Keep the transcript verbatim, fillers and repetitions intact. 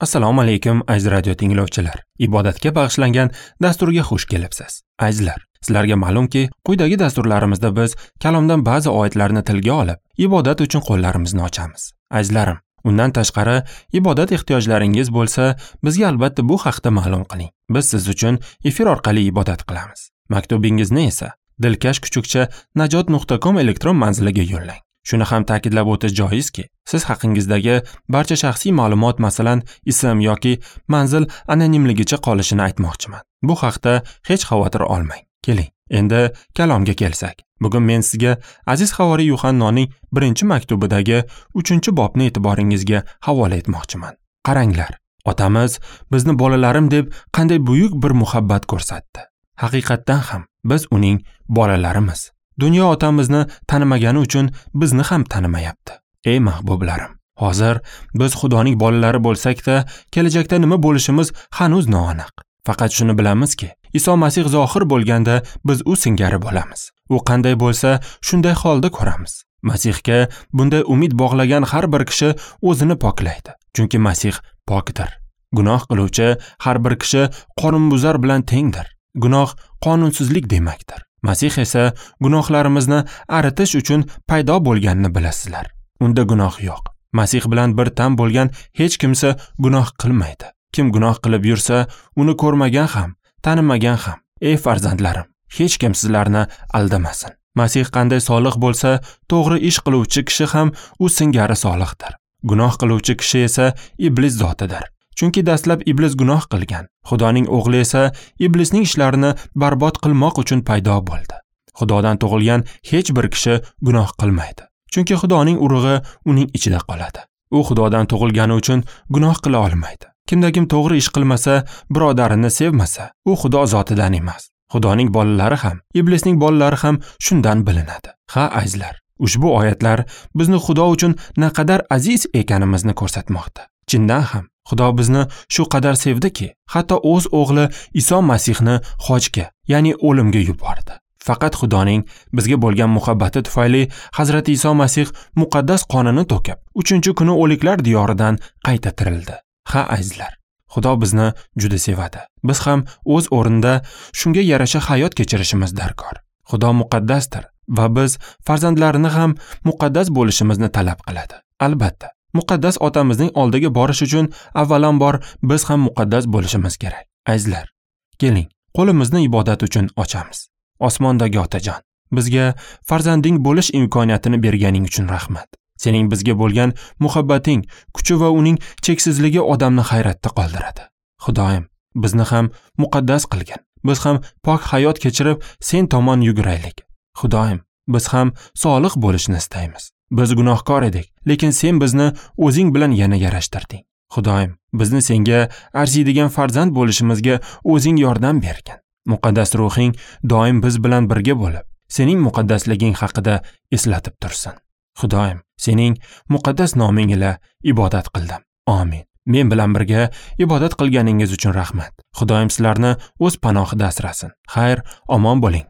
Assalomu alaykum aziz radio tinglovchilar. Ibodatga bag'ishlangan dasturga xush kelibsiz. Azizlar, sizlarga ma'lumki, quyidagi dasturlarimizda biz kalomdan ba'zi oyatlarni tilga olib, ibodat uchun qo'llarimizni ochamiz. Azizlarim, undan tashqari ibodat ehtiyojlaringiz bo'lsa, bizga albatta bu haqda ma'lum qiling. Biz siz uchun efir orqali ibodat qilamiz. Maktubingizni esa dilkash kuchukcha najot nuqta com elektron manziliga yo'llang. Shuni ham ta'kidlab o'tish joizki, siz haqingizdagi barcha shaxsiy ma'lumot, masalan, ism yoki manzil anonimligicha qolishini aytmoqchiman. Bu haqda hech xavotir olmang. Keling, endi kalomga kelsak. Bugun men sizga aziz havoriy Yuhannoning birinchi maktubidagi uchinchi bobni e'tiboringizga havola etmoqchiman. Qaranglar, otamiz bizni bolalarim deb qanday buyuk bir muhabbat ko'rsatdi. Haqiqatdan ham biz uning bolalarimiz. Dunyo otamizni tanimagani uchun bizni ham tanimayapti. Ey mahbublarim, hozir biz Xudoning bolalari bo'lsak-da, kelajakda nima bo'lishimiz hanuz noaniq. Faqat shuni bilamizki, Iso Masih zohir bo'lganda biz u singari bo'lamiz. U qanday bo'lsa, shunday holda ko'ramiz. Masihga bunday umid bog'lagan har bir kishi o'zini poklaydi, chunki Masih pokdir. Gunoh qiluvchi har bir kishi qonunbuzar bilan tengdir. Gunoh qonunsizlik demakdir. Masih esa gunohlarimizni aritish uchun paydo bo'lganini bilasizlar. Unda gunoh yo'q. Masih bilan bir tam bo'lgan hech kimsa gunoh qilmaydi. Kim gunoh qilib yursa, uni ko'rmagan ham, tanimagan ham. Ey farzandlarim, hech kim sizlarni aldamasin. Masih qanday solih bo'lsa, to'g'ri ish qiluvchi kishi ham u singari solihdir. Gunoh qiluvchi kishi esa iblis zotidir. Chunki dastlab iblis gunoh qilgan. Xudoning o'g'li esa iblisning ishlarini barbod qilmoq uchun paydo bo'ldi. Xudodan tug'ilgan hech bir kishi gunoh qilmaydi. Chunki Xudoning urug'i uning ichida qoladi. U Xudodan tug'ilgani uchun gunoh qila olmaydi. Kimda-kim to'g'ri ish qilmasa, birodarini sevmasa, u Xudo zotidan emas. Xudoning bolalari ham, iblisning bolalari ham shundan bilinadi. Ha, azizlar, ushbu oyatlar bizni Xudo uchun naqadar aziz ekanimizni ko'rsatmoqda. Chindan ham Xudo bizni shu qadar sevdiki, hatto o'z o'g'li Iso Masihni xochga, ya'ni o'limga yubordi. Faqat Xudoning bizga bo'lgan muhabbati tufayli Hazrati Iso Masih muqaddas qonini to'kib, uchinchi kuni o'liklar diyoridan qayta tirildi. Ha, azizlar, Xudo bizni juda sevadi. Biz ham o'z o'rnida shunga yarasha hayot kechirishimiz darkor. Xudo muqaddasdir va biz farzandlarini ham muqaddas bo'lishimizni talab qiladi. Albatta, muqaddas otamizning oldiga borish uchun avvalambor biz ham muqaddas bo'lishimiz kerak. Azizlar, keling, qo'limizni ibodat uchun ochamiz. Osmondagi Otajon, bizga farzanding bo'lish imkoniyatini berganing uchun rahmat. Sening bizga bo'lgan muhabbating, kuchi va uning cheksizligi odamni hayratda qoldiradi. Xudoyim, bizni ham muqaddas qilgin. Biz ham pok hayot kechirib, sen tomon yuguraylik. Xudoyim, biz ham solih bo'lishni istaymiz. Biz gunohkor edik, lekin sen bizni o'zing bilan yana yarashtirding. Xudoyim, bizni senga arziydigan farzand bo'lishimizga o'zing yordam bergin. Muqaddas ruhing doim biz bilan birga bo'lib, sening muqaddasliging haqida eslatib tursin. Xudoyim, sening muqaddas noming ila ibodat qildim. Amin. Men bilan birga ibodat qilganingiz uchun rahmat. Xudoyim sizlarni o'z panohida asrasin. Xayr, omon bo'ling.